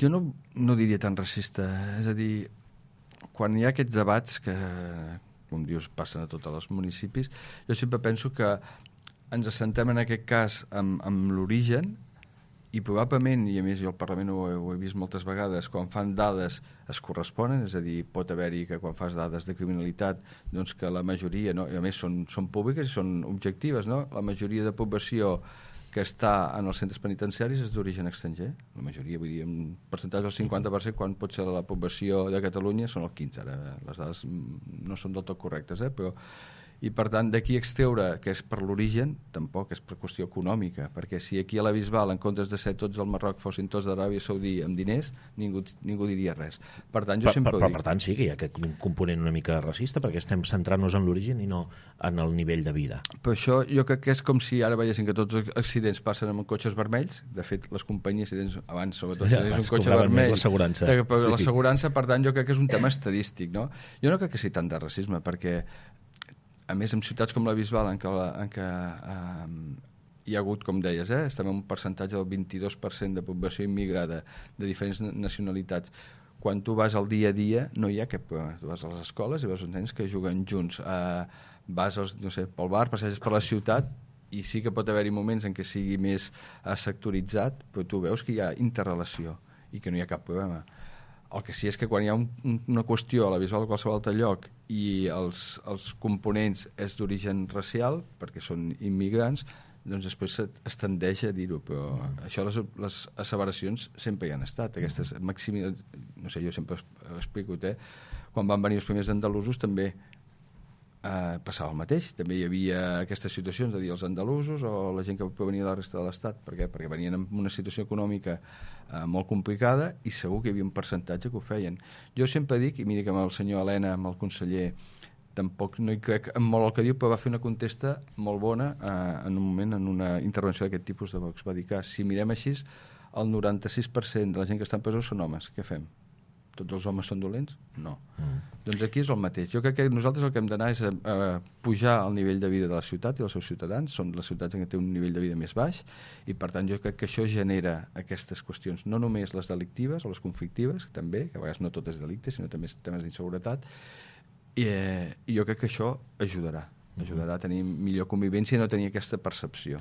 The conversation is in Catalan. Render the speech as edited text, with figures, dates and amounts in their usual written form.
Jo no diria tan racista, és a dir, quan hi ha aquests debats que, com dius, passen a tots els municipis, jo sempre penso que ens assentem en aquest cas amb l'origen i probablement, i a més jo al Parlament ho he vist moltes vegades, quan fan dades es corresponen, és a dir, pot haver-hi que quan fas dades de criminalitat, doncs que la majoria, no? I a més són públiques i són objectives, no? La majoria de població que està en els centres penitenciaris és d'origen estranger, la majoria, vull dir, en percentatge del 50%, quan pot ser la població de Catalunya són el 15%, ara les dades no són del tot correctes, però i per tant d'aquí extreure que és per l'origen tampoc és per qüestió econòmica, perquè si aquí a la Bisbal en comptes de ser tots al Marroc fossin tots d'Aràbia Saudí amb diners, ningú diria res. Per tant, jo sempre ho dic. Per tant sí que hi ha aquest component una mica racista, perquè estem centrant-nos en l'origen i no en el nivell de vida. Per això jo crec que és com si ara veiessin que tots els accidents passen amb cotxes vermells. De fet, les companyies abans sobretot tenies un cotxe vermell l'assegurança, per tant jo crec que és un tema estadístic, no? Jo no crec que sigui tant de racisme, perquè a més, en ciutats com la Bisbal, en què hi ha hagut, com deies, estem en un percentatge del 22% de població immigrada de diferents nacionalitats. Quan tu vas al dia a dia, no hi ha cap problema. Tu vas a les escoles i veus uns nens que juguen junts. Vas pel bar, passeges per la ciutat, i sí que pot haver-hi moments en què sigui més sectoritzat, però tu veus que hi ha interrelació i que no hi ha cap problema. El que sí és que quan hi ha una qüestió a la Bisbal o a qualsevol altre lloc i els components és d'origen racial, perquè són immigrants, doncs després es tendeix a dir-ho, però això les asseveracions sempre hi han estat. Aquestes no sé, jo sempre ho explico, quan van venir els primers andalusos també passava el mateix, també hi havia aquestes situacions de dir els andalusos o la gent que provenia de la resta de l'Estat. Per què? Perquè venien en una situació econòmica molt complicada i segur que hi havia un percentatge que ho feien. Jo sempre dic, i mira que amb el senyor Elena, amb el conseller, tampoc no hi crec en molt el que diu, però va fer una contesta molt bona en un moment, en una intervenció d'aquest tipus de Vox. Va dir que si mirem així, el 96% de la gent que està en presó són homes. Què fem? Tots els homes són dolents? No. Doncs aquí és el mateix. Jo crec que nosaltres el que hem d'anar és pujar el nivell de vida de la ciutat i dels seus ciutadans. Són les ciutats en què té un nivell de vida més baix i, per tant, jo crec que això genera aquestes qüestions, no només les delictives o les conflictives, també, que a vegades no tot és delicte, sinó també temes d'inseguretat, i jo crec que això ajudarà a tenir millor convivència i no tenir aquesta percepció.